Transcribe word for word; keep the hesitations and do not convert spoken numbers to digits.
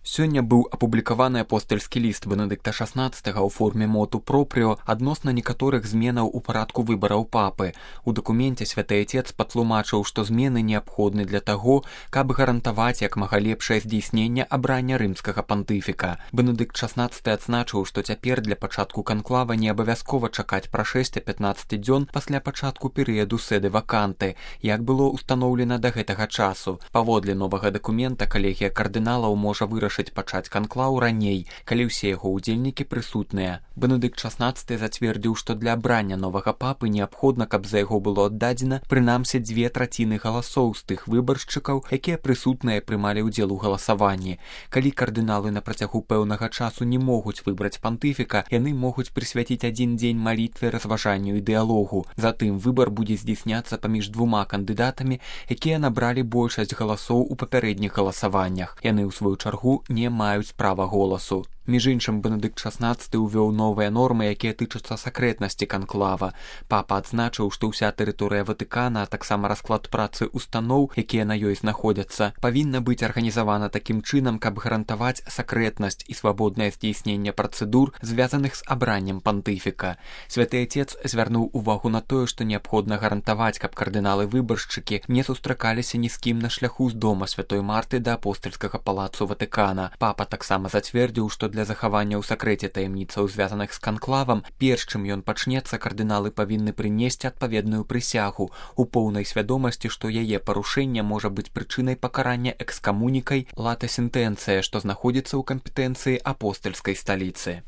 Сёння быў апублікаваны апостальскі ліст Бенедыкта шаснаццатага ў форме моту пропрыо адносна некаторых зменаў у парадку выбараў папы. У дакуменце святы Отец патлумачыў, што змены неабходны для таго, каб гарантаваць як мага лепшае здзейсненне абрання рымскага пантыфіка. Бенедыкт шаснаццаты адзначыў, што цяпер для пачатку канклава не абавязкова чакаць прашэсця пятнаццаць дзён пасля пачатку перыяду сэды ваканты, як было ўстаноўлена да гэтага часу. Паводле новага дакумента калегія кардыналаў можа вырашыць пачаць канклаў раней, калі ўсе яго ўдзельнікі прысутныя. Бенедыкт шаснаццаты зацвердзіў, што для абрання новага папы неабходна, каб за яго было аддадзена прынамсі дзве траціны галасоў з тых выбаршчыкаў, якія прысутныя прымалі ўдзел у галасаванні. Калі кардыналы на працягу пэўнага часу не могуць выбраць пантыфіка, яны могуць прысвяціць адзін дзень малітве, разважанню і дыялогу. Затым выбар будзе здзейсняцца паміж двума кандыдатамі, якія набралі большасць галасоў у папярэдніх галасаваннях. Яны ў сваю чаргу не маюць права голасу. Між іншым, Бенедыкт шаснаццаты ўвёў новыя нормы, якія тычацца сакрэтнасці канклава. Папа адзначыў, што ўся тэрыторыя Ватыкана, а таксама расклад працы устаноў, якія на ёй знаходзяцца, павінна быць арганізавана такім чынам, каб гарантаваць сакрэтнасць і свабоднае здзейсненне працэдур, звязаных з абраннем пантыфіка. Святы Отец звярнуў увагу на тое, што неабходна гарантаваць, каб кардыналы-выбаршчыкі не сустракаліся ні з кім на шляху з дома святой Марты да апостальскага палацу Ватыкана. Папа таксама зацвердзіў, што для Для захавання ў сакрэце таямніцаў, звязаных з канклавам, перш чым ён пачнецца, кардыналы павінны прынесці адпаведную прысягу у поўнай свядомасці, што яе парушэнне можа быць прычынай пакарання экскамунікай лата сентэнцыя, што знаходзіцца ў кампетэнцыі апостальскай сталіцы.